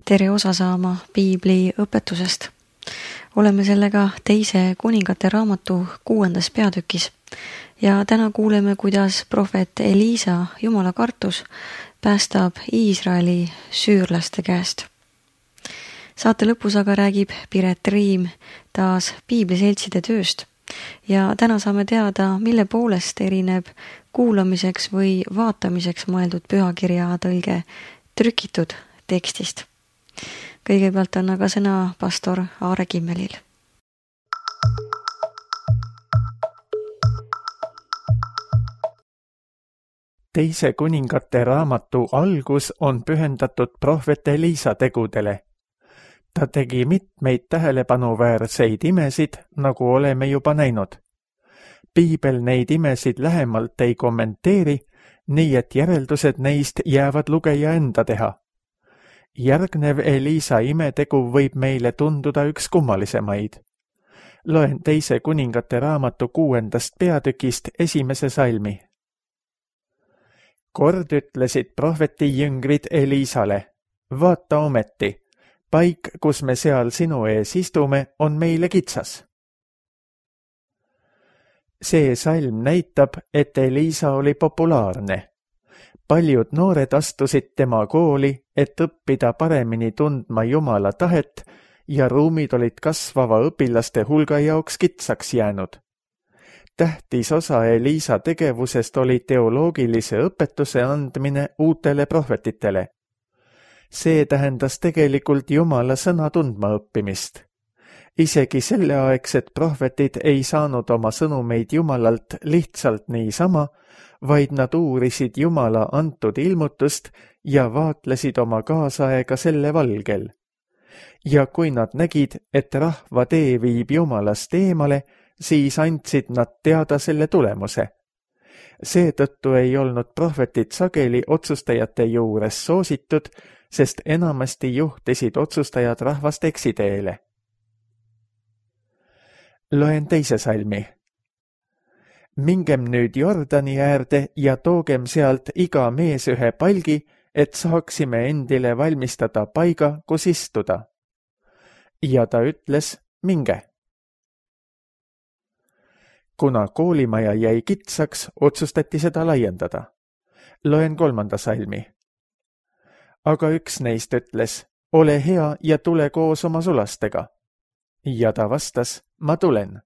tere osa saama piibli õpetusest. Oleme sellega teise kuningate raamatu 6. peatükis ja täna kuuleme, kuidas prohvet Eliisa Jumala kartus päästab Iisraeli süürlaste käest. Saate lõpus aga räägib Piret Riim taas piibliseltside tööst ja täna saame teada, mille poolest erineb kuulamiseks või vaatamiseks mõeldud pühakirja tõlge trükitud tekstist. Kõigepealt on aga sõna pastor Aare Kimmelil. Teise kuningate raamatu algus on pühendatud prohvet Eliisa tegudele. Ta tegi mitmeid tähelepanuväärseid imesid, nagu oleme juba näinud. Piibel neid imesid lähemalt ei kommenteeri, nii et järeldused neist jäävad lugeja enda teha. Järgnev Eliisa imetegu võib meile tunduda üks kummalisemaid. Loen teise kuningate raamatu 6. peatükist 1. salmi. Kord ütlesid prohveti jüngrid Eliisale, vaata ometi, paik, kus me seal sinu ees istume, on meile kitsas. See salm näitab, et Eliisa oli populaarne. Paljud noored astusid tema kooli, et õppida paremini tundma Jumala tahet ja ruumid olid kasvava õpilaste hulga jaoks kitsaks jäänud. Tähtis osa Eliisa tegevusest oli teoloogilise õpetuse andmine uutele prohvetitele. See tähendas tegelikult Jumala sõna tundma õppimist. Isegi selleaegsed prohvetid ei saanud oma sõnumeid Jumalalt lihtsalt niisama, vaid nad uurisid Jumala antud ilmutust ja vaatlesid oma kaasaega selle valgel. Ja kui nad nägid, et rahva tee viib Jumalast eemale, siis andsid nad teada selle tulemuse. Seetõttu ei olnud prohvetid sageli otsustajate juures soositud, sest enamasti juhtisid otsustajad rahvast eksiteele. Loen teise salmi. Mingem nüüd Jordani äärde ja toogem sealt iga mees ühe palgi, et saaksime endile valmistada paiga, kus istuda. Ja ta ütles, minge. Kuna koolimaja jäi kitsaks, otsustati seda laiendada. Loen 3. salmi. Aga üks neist ütles, ole hea ja tule koos oma sulastega. Ja ta vastas, ma tulen.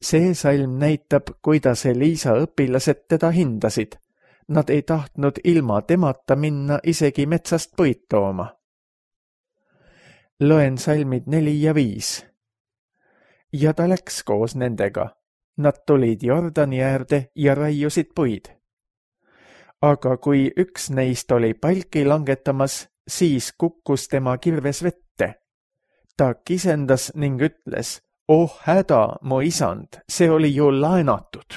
See salm näitab, kuidas Eliisa õpilased teda hindasid. Nad ei tahtnud ilma temata minna isegi metsast puid tooma. Loen salmid 4 ja 5. Ja ta läks koos nendega. Nad tulid Jordani äärde ja raiusid puid. Aga kui üks neist oli palki langetamas, siis kukkus tema kirves vette. Ta kisendas ning ütles, oh häda, mu isand, see oli ju laenatud.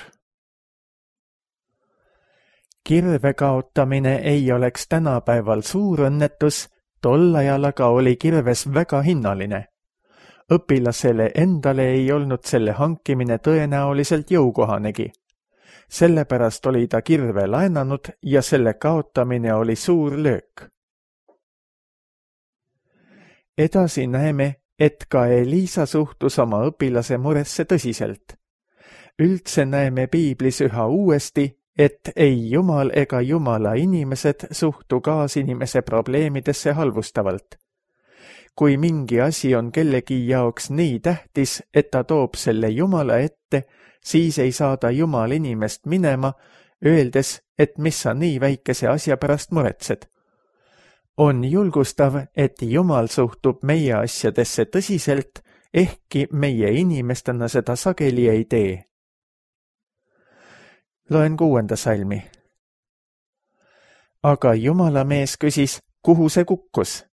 Kirve kaotamine ei oleks tänapäeval suur õnnetus, tol ajal aga oli kirves väga hinnaline. Õpilasele endale ei olnud selle hankimine tõenäoliselt jõukohanegi. Sellepärast oli ta kirve laenanud ja selle kaotamine oli suur löök. Edasi näeme, et ka Eliisa suhtus oma õpilase muresse tõsiselt. Üldse näeme piiblis üha uuesti, et ei Jumal ega Jumala inimesed suhtu kaasinimese probleemidesse halvustavalt. Kui mingi asi on kellegi jaoks nii tähtis, et ta toob selle Jumala ette, siis ei saada Jumal inimest minema, öeldes, et mis sa nii väikese asja pärast muretsed. On julgustav, et Jumal suhtub meie asjadesse tõsiselt, ehkki meie inimestena seda sageli ei tee. Loen 6. salmi. Aga Jumala mees küsis, kuhu see kukkus?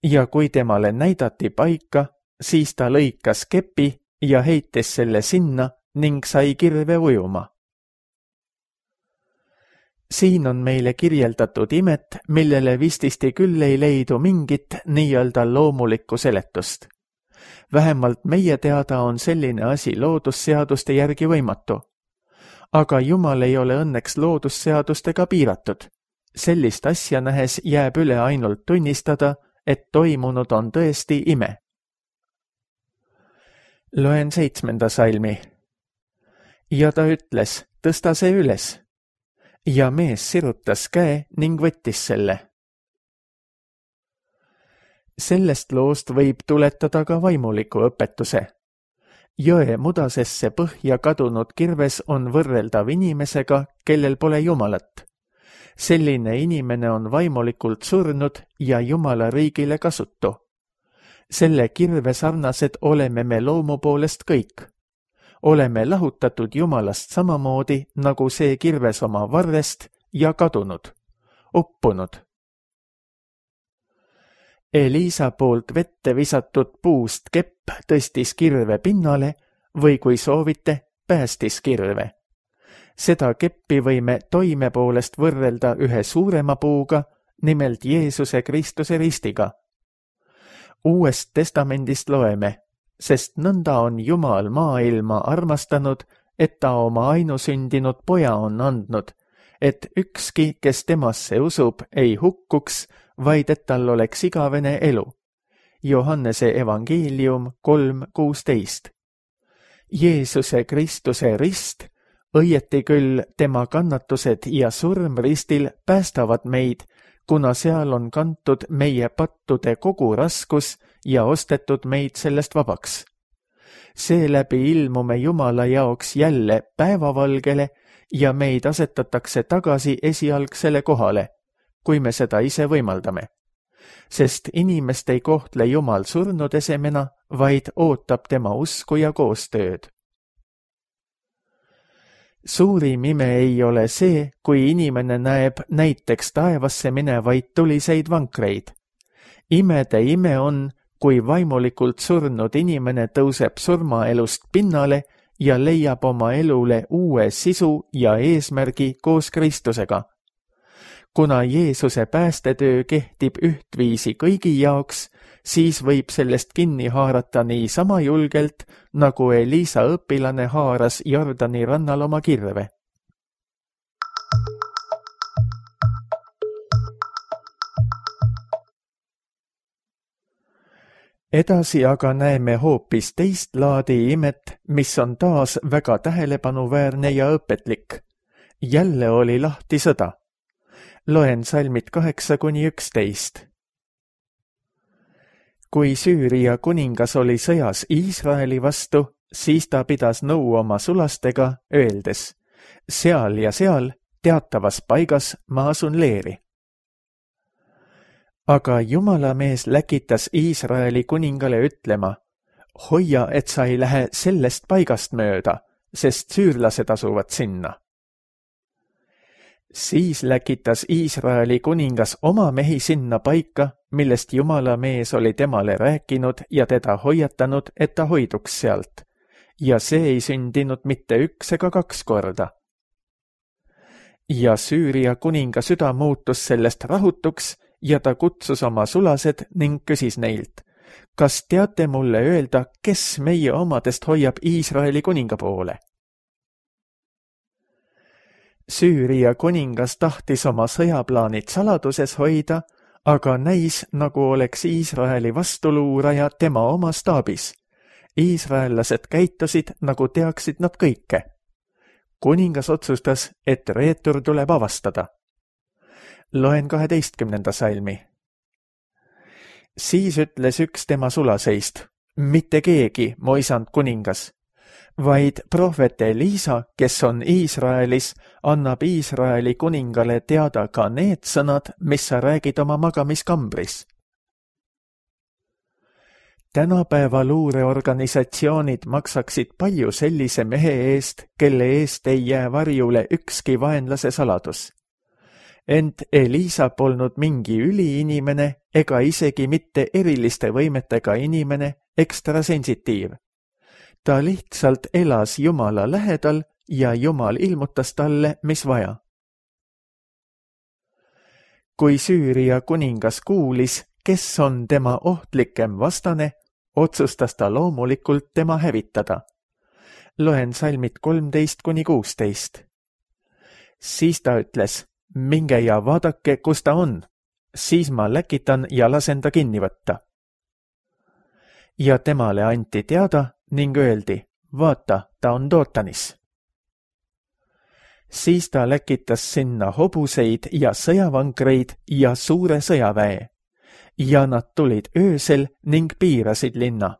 Ja kui temale näidati paika, siis ta lõikas kepi ja heitis selle sinna ning sai kirve ujuma. Siin on meile kirjeldatud imet, millele vististi küll ei leidu mingit nii-öelda loomulikku seletust. Vähemalt meie teada on selline asi loodusseaduste järgi võimatu. Aga Jumal ei ole õnneks loodusseadustega piiratud. sellist asja nähes jääb üle ainult tunnistada, et toimunud on tõesti ime. Loen 7. salmi. Ja ta ütles, tõsta see üles. Ja mees sirutas käe ning võttis selle. Sellest loost võib tuletada ka vaimuliku õpetuse. Jõe mudasesse põhja kadunud kirves on võrreldav inimesega, kellel pole Jumalat. Selline inimene on vaimulikult surnud ja Jumala riigile kasutu. Selle kirve sarnased oleme me loomu poolest kõik. Oleme lahutatud Jumalast samamoodi, nagu see kirves oma varrest ja kadunud, uppunud. Eliisa poolt vette visatud puust kepp tõstis kirve pinnale või kui soovite, päästis kirve. Seda keppi võime toime poolest võrrelda ühe suurema puuga, nimelt Jeesuse Kristuse ristiga. Uuest testamendist loeme, sest nõnda on Jumal maailma armastanud, et ta oma ainusündinud poja on andnud, et ükski, kes temasse usub, ei hukkuks, vaid et tal oleks igavene elu. Johannese evangeelium 3:16. Jeesuse Kristuse rist, õieti küll tema kannatused ja surm ristil päästavad meid, kuna seal on kantud meie pattude kogu raskus ja ostetud meid sellest vabaks. Seeläbi ilmume Jumala jaoks jälle päevavalgele ja meid asetatakse tagasi esialgsele kohale, kui me seda ise võimaldame. Sest inimest ei kohtle Jumal surnud esemena, vaid ootab tema usku ja koostööd. Suurim ime ei ole see, kui inimene näeb näiteks taevasse minevaid tuliseid vankreid. Imede ime on, kui vaimulikult surnud inimene tõuseb surmaelust pinnale ja leiab oma elule uue sisu ja eesmärgi koos Kristusega. Kuna Jeesuse päästetöö kehtib ühtviisi kõigi jaoks, siis võib sellest kinni haarata nii sama julgelt, nagu Eliisa õpilane haaras Jordani rannal oma kirve. Edasi aga näeme hoopis teist laadi imet, mis on taas väga tähelepanuväärne ja õpetlik. Jälle oli lahti sõda. Loen salmid 8-11. Kui Süüria kuningas oli sõjas Iisraeli vastu, siis ta pidas nõu oma sulastega, öeldes, seal ja seal, teatavas paigas ma asun leeri. Aga Jumala mees läkitas Iisraeli kuningale ütlema, hoia, et sa ei lähe sellest paigast mööda, sest süürlased asuvad sinna. Siis läkitas Iisraeli kuningas oma mehi sinna paika, millest Jumala mees oli temale rääkinud ja teda hoiatanud, et ta hoiduks sealt. Ja see ei sündinud mitte 1 ega 2 korda. Ja Süüria kuninga süda muutus sellest rahutuks ja ta kutsus oma sulased ning küsis neilt, kas teate mulle öelda, kes meie omadest hoiab Iisraeli kuninga poole? Süüria kuningas tahtis oma sõjaplaanid saladuses hoida, aga näis, nagu oleks Iisraeli vastuluuraja tema oma staabis. Iisraellased käitusid, nagu teaksid nad kõike. Kuningas otsustas, et reetur tuleb avastada. Loen 12. salmi. Siis ütles üks tema sulaseist, mitte keegi, mu isand kuningas, vaid prohvet Eliisa, kes on Iisraelis, annab Iisraeli kuningale teada ka need sõnad, mis sa räägid oma magamiskambris. Tänapäeva luureorganisatsioonid maksaksid palju sellise mehe eest, kelle eest ei jää varjule ükski vaenlase saladus. Ent Eliisa polnud mingi üliinimene ega isegi mitte eriliste võimetega inimene, ekstrasensitiiv. Ta lihtsalt elas Jumala lähedal ja Jumal ilmutas talle, mis vaja. Kui Süüria kuningas kuulis, kes on tema ohtlikem vastane, otsustas ta loomulikult tema hävitada. Loen salmid 13-16. Siis ta ütles, minge ja vaadake, kus ta on, siis ma läkitan ja lasen ta kinni võtta. Ja temale anti teada ning öeldi, vaata, ta on Dootanis. Siis ta läkitas sinna hobuseid ja sõjavankreid ja suure sõjaväe ja nad tulid öösel ning piirasid linna.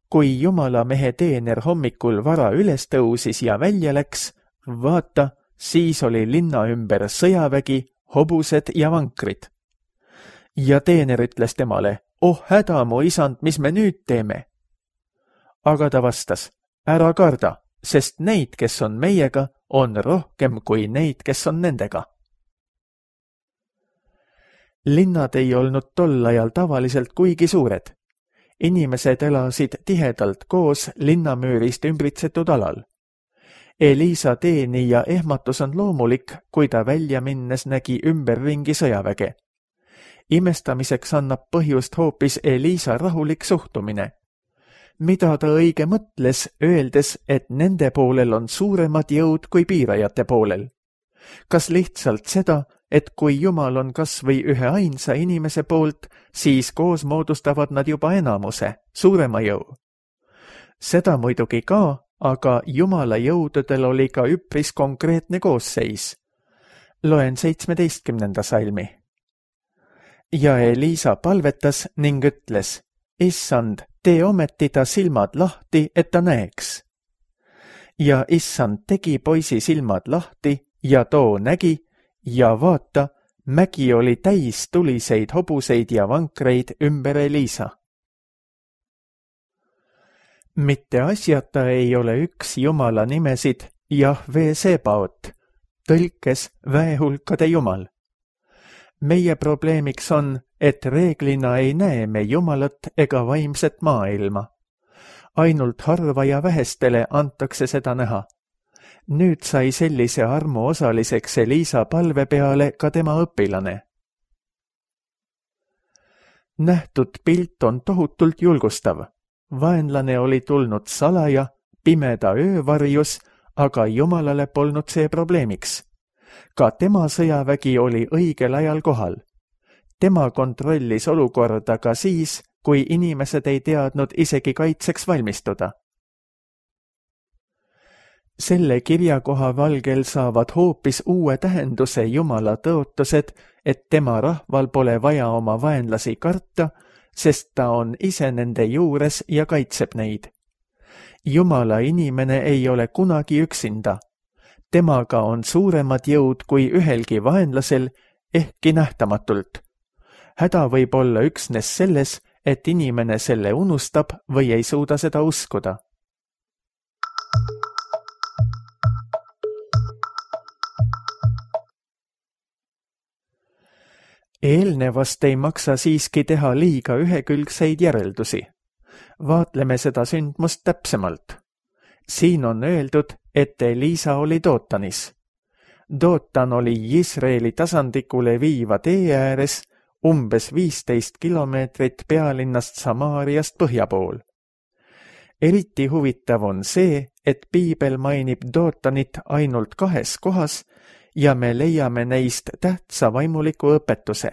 Kui Jumala mehe teener hommikul vara üles tõusis ja välja läks, vaata, siis oli linna ümber sõjavägi, hobused ja vankrid. Ja teener ütles temale, oh häda, mu isand, mis me nüüd teeme? Aga ta vastas, ära karda, sest neid, kes on meiega, on rohkem kui neid, kes on nendega. Linnad ei olnud tol ajal tavaliselt kuigi suured. Inimesed elasid tihedalt koos linnamüürist ümbritsetud alal. Eliisa teeni ja ehmatus on loomulik, kui ta välja minnes nägi ümberringi sõjaväge. Imestamiseks annab põhjust hoopis Eliisa rahulik suhtumine. Mida ta õige mõtles, öeldes, et nende poolel on suuremad jõud kui piirajate poolel? Kas lihtsalt seda, et kui Jumal on kas või ühe ainsa inimese poolt, siis koos moodustavad nad juba enamuse, suurema jõu? Seda muidugi ka, aga Jumala jõududel oli ka üpris konkreetne koosseis. Loen 17. salmi. Ja Eliisa palvetas ning ütles, Issand, tee ometi ta silmad lahti, et ta näeks. Ja Issand tegi poisi silmad lahti ja too nägi ja vaata, mägi oli täis tuliseid hobuseid ja vankreid ümber Eliisa. Mitte asjata ei ole üks Jumala nimesid Jahve Sebaot, tõlkes väehulkade Jumal. Meie probleemiks on, et reeglina ei näe me Jumalat ega vaimset maailma. Ainult harva ja vähestele antakse seda näha. Nüüd sai sellise armu osaliseks Eliisa palve peale ka tema õpilane. Nähtud pilt on tohutult julgustav. Vaenlane oli tulnud salaja, pimeda öövarjus, aga Jumalale polnud see probleemiks. Ka tema sõjavägi oli õigel ajal kohal. Tema kontrollis olukorda ka siis, kui inimesed ei teadnud isegi kaitseks valmistuda. Selle kirjakoha valgel saavad hoopis uue tähenduse Jumala tõotused, et tema rahval pole vaja oma vaenlasi karta, sest ta on ise nende juures ja kaitseb neid. Jumala inimene ei ole kunagi üksinda. Temaga on suuremad jõud kui ühelgi vaenlasel, ehkki nähtamatult. Häda võib olla üksnes selles, et inimene selle unustab või ei suuda seda uskuda. Eelnevast ei maksa siiski teha liiga ühekülgseid järeldusi. Vaatleme seda sündmust täpsemalt. Siin on öeldud, et Eliisa oli Dootanis. Dootan oli Iisraeli tasandikule viiva tee ääres, umbes 15 kilomeetrit pealinnast Samaariast põhja pool. Eriti huvitav on see, et piibel mainib Dootanit ainult 2 kohas ja me leiame neist tähtsa vaimuliku õpetuse.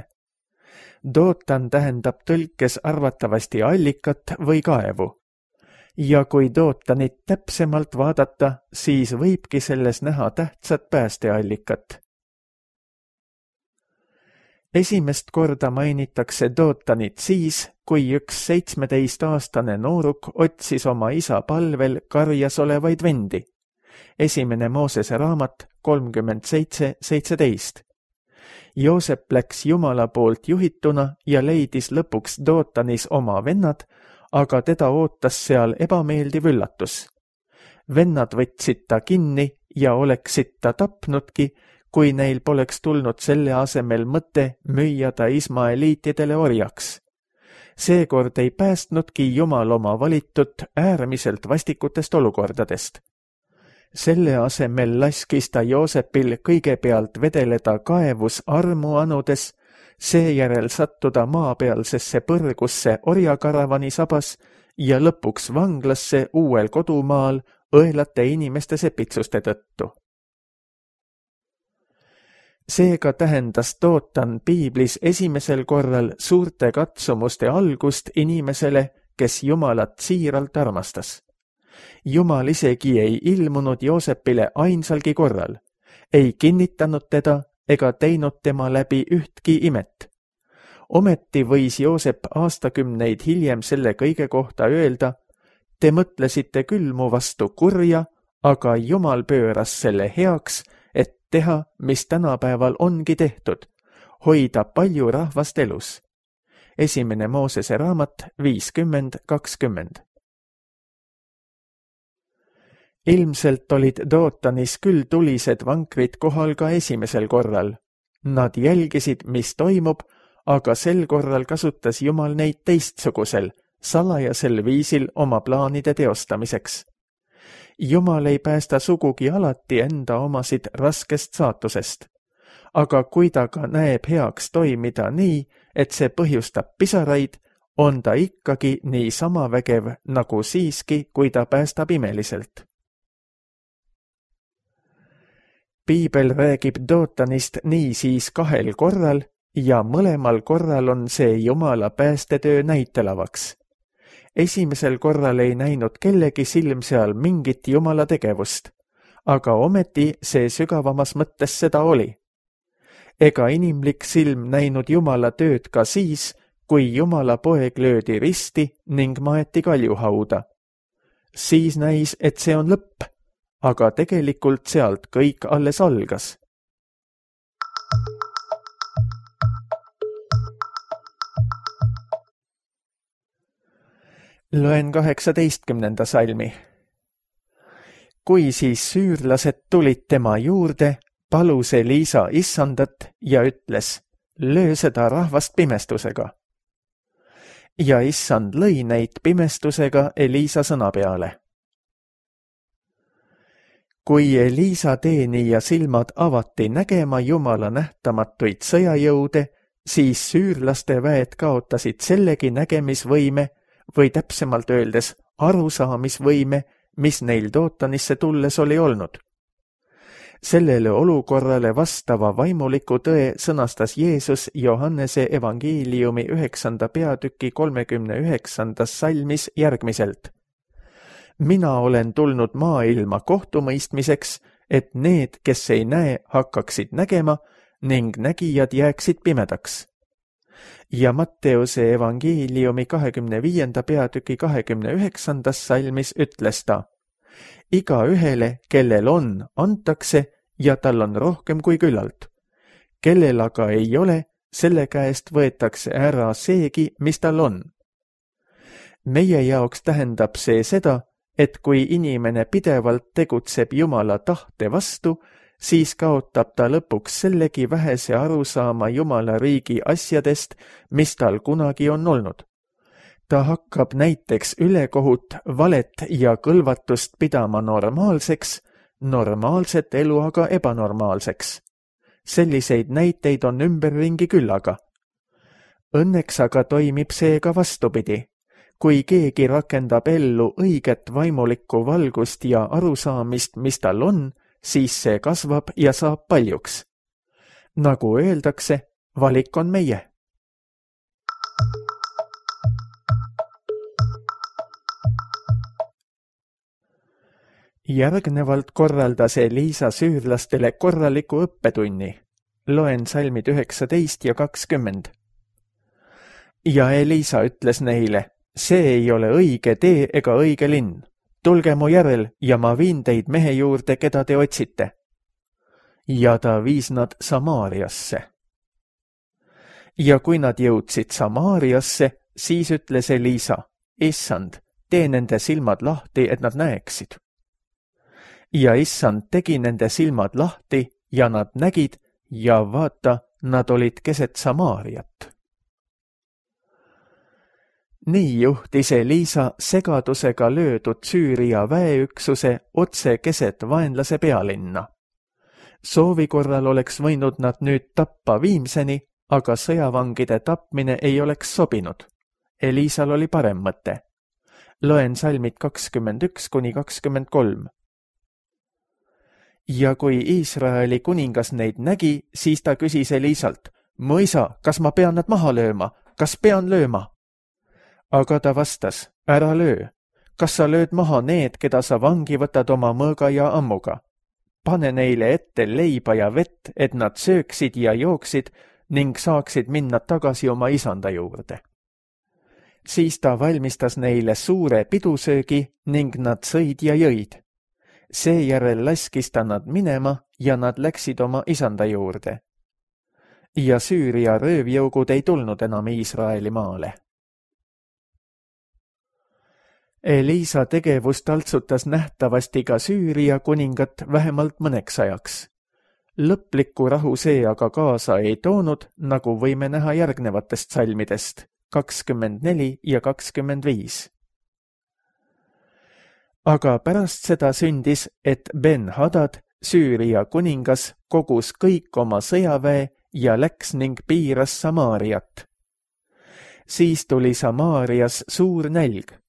Dootan tähendab tõlkes arvatavasti allikat või kaevu. Ja kui Dootanit täpsemalt vaadata, siis võibki selles näha tähtsat päästeallikat. Esimest korda mainitakse Dootanit siis, kui üks 17-aastane nooruk otsis oma isa palvel karjas olevaid vendi. 1. Moosese raamat 37:17. Joosep läks Jumala poolt juhituna ja leidis lõpuks Dootanis oma vennad, aga teda ootas seal ebameeldiv üllatus. Vennad võtsid ta kinni ja oleksid ta tapnudki, kui neil poleks tulnud selle asemel mõte müüa ta ismaeliitidele orjaks. Seekord ei päästnudki Jumal oma valitud äärmiselt vastikutest olukordadest. Selle asemel laskis ta Joosepil kõigepealt vedeleda kaevus armu anudes, seejärel sattuda maapealsesse põrgusse orjakaravani sabas ja lõpuks vanglasse uuel kodumaal õelate inimeste sepitsuste tõttu. Seega tähendas Dootan piiblis esimesel korral suurte katsumuste algust inimesele, kes Jumalat siiralt armastas. Jumal isegi ei ilmunud Joosepile ainsalgi korral, ei kinnitanud teda ega teinud tema läbi ühtki imet. Ometi võis Joosep aastakümneid hiljem selle kõige kohta öelda: te mõtlesite küll mu vastu kurja, aga Jumal pööras selle heaks, et teha, mis tänapäeval ongi tehtud, hoida palju rahvast elus. 1. Moosese raamat 50:20. Ilmselt olid Dootanis küll tulised vankrid kohal ka esimesel korral. Nad jälgisid, mis toimub, aga sel korral kasutas Jumal neid teistsugusel, salajasel viisil oma plaanide teostamiseks. Jumal ei päästa sugugi alati enda omasid raskest saatusest, aga kui ta ka näeb heaks toimida nii, et see põhjustab pisaraid, on ta ikkagi nii sama vägev nagu siiski, kui ta päästab imeliselt. Piibel räägib Dootanist niisiis 2 korral ja mõlemal korral on see Jumala päästetöö näitelavaks. Esimesel korral ei näinud kellegi silm seal mingit Jumala tegevust, aga ometi see sügavamas mõttes seda oli. Ega inimlik silm näinud Jumala tööd ka siis, kui Jumala poeg löödi risti ning maeti kaljuhauda. Siis näis, et see on lõpp, aga tegelikult sealt kõik alles algas. Loen 18. salmi. Kui siis süürlased tulid tema juurde, palus Eliisa issandat ja ütles: löö seda rahvast pimestusega. Ja issand lõi neid pimestusega Eliisa sõna peale. Kui Eliisa teenija silmad avati nägema Jumala nähtamatuid sõjajõude, siis süürlaste väed kaotasid sellegi nägemisvõime või täpsemalt öeldes arusaamisvõime, mis neil Dootanisse tulles oli olnud. Sellele olukorrale vastava vaimuliku tõe sõnastas Jeesus Johannese evangeeliumi 9. peatüki 39. salmis järgmiselt: mina olen tulnud maailma kohtumõistmiseks, et need, kes ei näe, hakkaksid nägema ning nägijad jääksid pimedaks. Ja Matteuse evangeeliumi 25. peatüki 29. salmis ütles ta: igaühele, kellel on, antakse ja tal on rohkem kui küllalt. Kellel aga ei ole, selle käest võetakse ära seegi, mis tal on. Meie jaoks tähendab see seda, et kui inimene pidevalt tegutseb Jumala tahte vastu, siis kaotab ta lõpuks sellegi vähese arusaama Jumala riigi asjadest, mis tal kunagi on olnud. Ta hakkab näiteks ülekohut, valet ja kõlvatust pidama normaalseks, normaalset elu aga ebanormaalseks. Selliseid näiteid on ümberringi küllaga. Õnneks aga toimib see ka vastupidi. Kui keegi rakendab ellu õiget vaimulikku valgust ja arusaamist, mis tal on, siis see kasvab ja saab paljuks. Nagu öeldakse, valik on meie. Järgnevalt korraldas Eliisa süürlastele korraliku õppetunni. Loen salmid 19 ja 20. Ja Eliisa ütles neile: see ei ole õige tee ega õige linn. Tulge mu järel ja ma viin teid mehe juurde, keda te otsite. Ja ta viis nad Samaariasse. Ja kui nad jõudsid Samaariasse, siis ütles Eliisa: issand, tee nende silmad lahti, et nad näeksid. Ja issand tegi nende silmad lahti ja nad nägid ja vaata, nad olid keset Samaariat. Nii juhtis Eliisa segadusega löödud Süüria väeüksuse otse keset vaenlase pealinna. Soovi korral oleks võinud nad nüüd tappa viimseni, aga sõjavangide tapmine ei oleks sobinud. Eliisal oli parem mõte. Loen salmid 21–23. Ja kui Iisraeli kuningas neid nägi, siis ta küsis Elisalt, mu isa, kas ma pean nad maha lööma, kas pean lööma? Aga ta vastas, ära löö, kas sa lööd maha need, keda sa vangi võtad oma mõõga ja ammuga? Pane neile ette leiba ja vett, et nad sööksid ja jooksid ning saaksid minna tagasi oma isanda juurde. Siis ta valmistas neile suure pidusöögi ning nad sõid ja jõid. Seejärel laskis ta nad minema ja nad läksid oma isanda juurde. Ja Süüria röövjõugud ei tulnud enam Iisraeli maale. Eliisa tegevus taltsutas nähtavasti ka Süüria kuningat vähemalt mõneks ajaks. Lõplikku rahu see aga kaasa ei toonud, nagu võime näha järgnevatest salmidest 24 ja 25. Aga pärast seda sündis, et Ben-Hadad, Süüria kuningas, kogus kõik oma sõjaväe ja läks ning piiras Samaariat. Siis tuli Samaarias suur nälg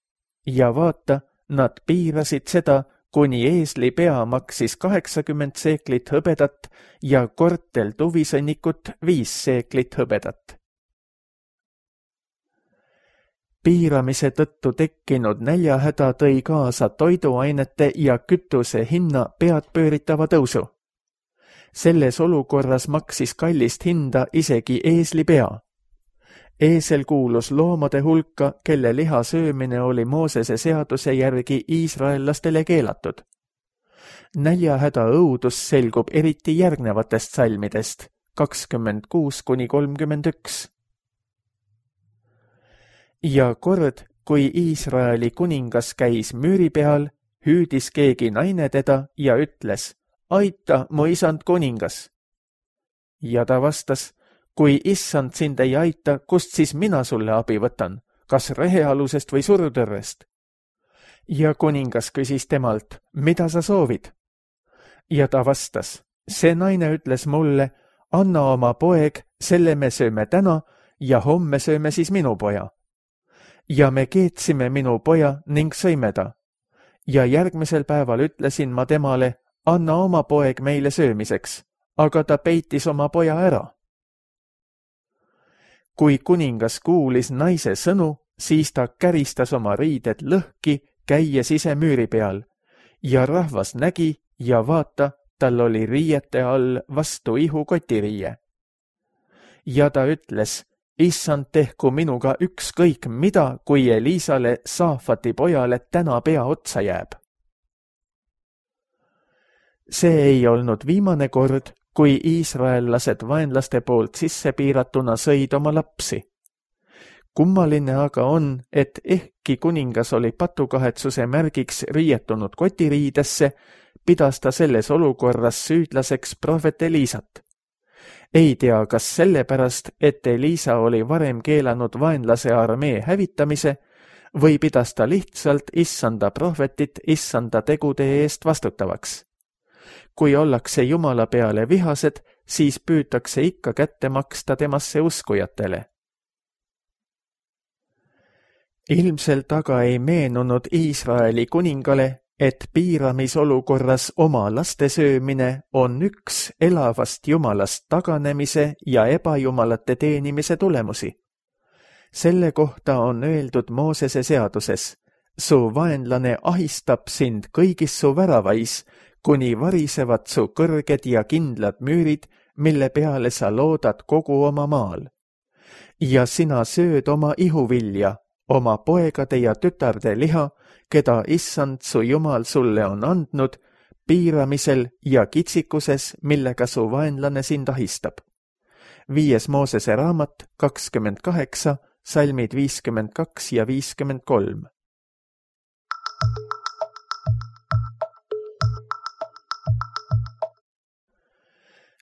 ja vaata, nad piirasid seda, kuni eesli pea maksis 80 seeklit hõbedat ja kortel tuvisõnnikut 5 seeklit hõbedat. Piiramise tõttu tekkinud näljahäda tõi kaasa toiduainete ja kütuse hinna peadpööritava tõusu. Selles olukorras maksis kallist hinda isegi eesli pea. Eesel kuulus loomade hulka, kelle liha söömine oli Moosese seaduse järgi iisraellastele keelatud. Näljahäda õudus selgub eriti järgnevatest salmidest 26-31. Ja kord, kui Iisraeli kuningas käis müüri peal, hüüdis keegi naine teda ja ütles, aita, mu isand kuningas. Ja ta vastas, kui issand sind ei aita, kust siis mina sulle abi võtan, kas rehealusest või surutõrrest? Ja kuningas küsis temalt, mida sa soovid? Ja ta vastas, see naine ütles mulle, anna oma poeg, selle me sööme täna ja homme sööme siis minu poja. Ja me keetsime minu poja ning sõime ta. Ja järgmisel päeval ütlesin ma temale, anna oma poeg meile söömiseks, aga ta peitis oma poja ära. Kui kuningas kuulis naise sõnu, siis ta käristas oma riided lõhki, käies ise müüri peal, ja rahvas nägi ja vaata, tal oli riiete all vastu ihu kotiriie. Ja ta ütles, issand tehku minuga ükskõik mida, kui Eliisale, Saafati pojale, täna pea otsa jääb. See ei olnud viimane kord, kui iisraellased vaenlaste poolt sisse piiratuna sõid oma lapsi. Kummaline aga on, et ehkki kuningas oli patukahetsuse märgiks riietunud kotiriidesse, pidas ta selles olukorras süüdlaseks prohvet Eliisat. Ei tea, kas sellepärast, et Eliisa oli varem keelanud vaenlase armee hävitamise või pidas ta lihtsalt issanda prohvetit issanda tegude eest vastutavaks. Kui ollakse Jumala peale vihased, siis püütakse ikka kätte maksta temasse uskujatele. Ilmselt aga ei meenunud Iisraeli kuningale, et piiramisolukorras oma laste söömine on üks elavast Jumalast taganemise ja ebajumalate teenimise tulemusi. Selle kohta on öeldud Moosese seaduses, su vaenlane ahistab sind kõigis su väravais, kuni varisevad su kõrged ja kindlad müürid, mille peale sa loodad kogu oma maal. Ja sina sööd oma ihuvilja, oma poegade ja tütarde liha, keda issand su Jumal sulle on andnud, piiramisel ja kitsikuses, millega su vaenlane sind ahistab. 5. Moosese raamat 28, salmid 52 ja 53.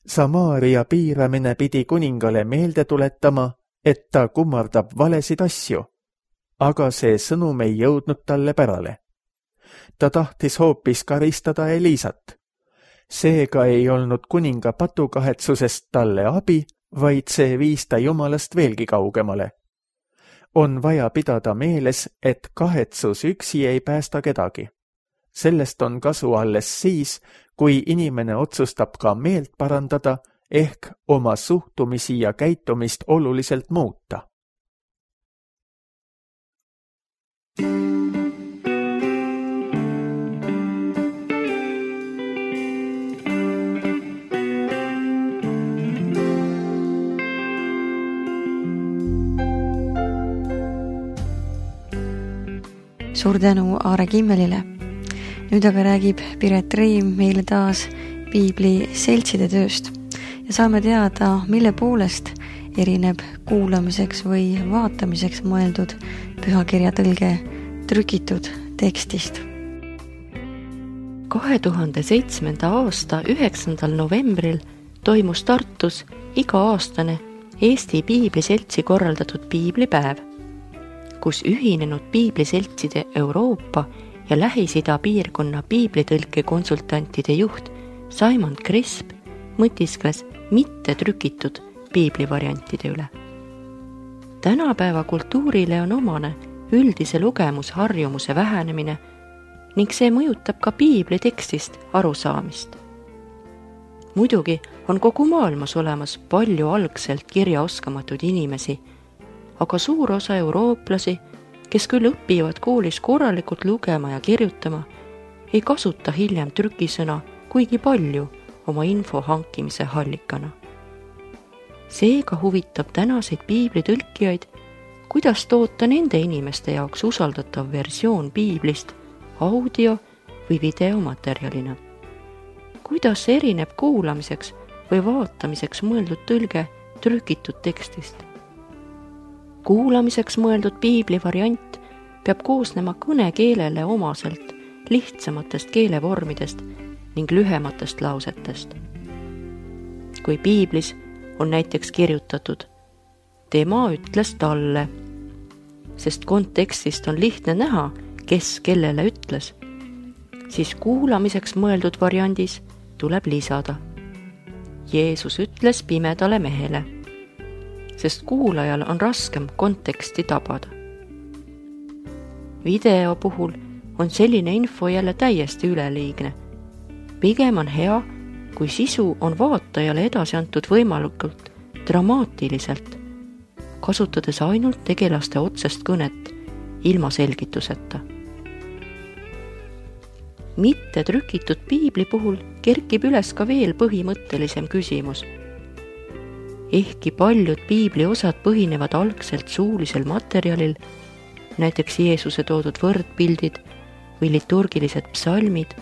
Samaaria piiramine pidi kuningale meelde tuletama, et ta kummardab valesid asju, aga see sõnum ei jõudnud talle pärale. Ta tahtis hoopis karistada Eliisat. Seega ei olnud kuninga patukahetsusest talle abi, vaid see viis ta Jumalast veelgi kaugemale. On vaja pidada meeles, et kahetsus üksi ei päästa kedagi. Sellest on kasu alles siis, kui inimene otsustab ka meelt parandada ehk oma suhtumisi ja käitumist oluliselt muuta. Suur tänu Aare Kimmelile. Nüüd aga räägib Piret Reim meile taas piibli seltside tööst ja saame teada, mille poolest erineb kuulamiseks või vaatamiseks mõeldud pühakirja tõlge trükitud tekstist. 2007. aasta 9. novembril toimus Tartus iga-aastane Eesti Piibliseltsi korraldatud piiblipäev, kus ühinenud piibliseltside Euroopa ja Lähis-Ida piirkonna piiblitõlke konsultantide juht Simon Crisp mõtiskles mitte trükitud piiblivariantide üle. Tänapäeva kultuurile on omane üldise lugemusharjumuse vähenemine ning see mõjutab ka piibli tekstist arusaamist. Muidugi on kogu maailmas olemas palju algselt kirjaoskamatuid inimesi, aga suur osa eurooplasi, kes küll õpivad koolis korralikult lugema ja kirjutama, ei kasuta hiljem trükisõna kuigi palju oma info hankimise hallikana. Seega huvitab tänaseid piiblitõlkijaid, kuidas toota nende inimeste jaoks usaldatav versioon piiblist audio- või videomaterjalina. Kuidas erineb kuulamiseks või vaatamiseks mõeldud tõlge trükitud tekstist? Kuulamiseks mõeldud piibli variant peab koosnema kõnekeelele omaselt lihtsamatest keelevormidest ning lühematest lausetest. Kui piiblis on näiteks kirjutatud tema ütles talle, sest kontekstist on lihtne näha, kes kellele ütles, siis kuulamiseks mõeldud variandis tuleb lisada Jeesus ütles pimedale mehele, sest kuulajal on raskem konteksti tabada. Video puhul on selline info jälle täiesti üleliigne. Pigem on hea, kui sisu on vaatajale edasi antud võimalikult dramaatiliselt, kasutades ainult tegelaste otsest kõnet ilma selgituseta. Mitte trükitud piibli puhul kerkib üles ka veel põhimõttelisem küsimus. Ehkki paljud piibli osad põhinevad algselt suulisel materjalil, näiteks Jeesuse toodud võrdpildid või liturgilised psalmid,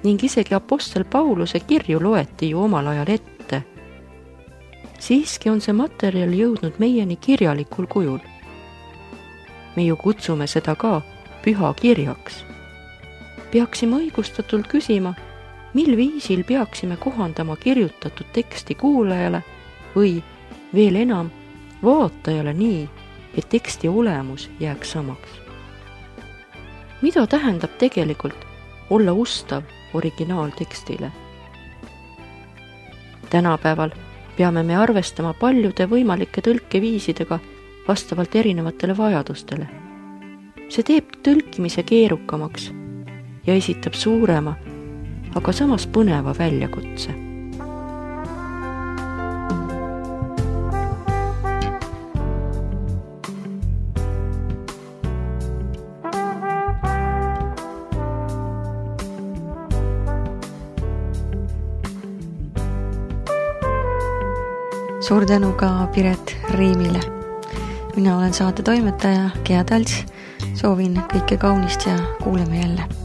ning isegi apostel Pauluse kirju loeti ju omal ajal ette, siiski on see materjal jõudnud meieni kirjalikul kujul. Me ju kutsume seda ka pühakirjaks. Peaksime õigustatult küsima, mil viisil peaksime kohandama kirjutatud teksti kuulajale või veel enam vaatajale nii, et teksti olemus jääks samaks. Mida tähendab tegelikult olla ustav originaaltekstile? Tänapäeval peame me arvestama paljude võimalike tõlkeviisidega vastavalt erinevatele vajadustele. See teeb tõlkimise keerukamaks ja esitab suurema, aga samas põneva väljakutse. Suur tänu ka Piret Reimile. Mina olen saate toimetaja Gea Talts. Soovin kõike kaunist ja kuuleme jälle.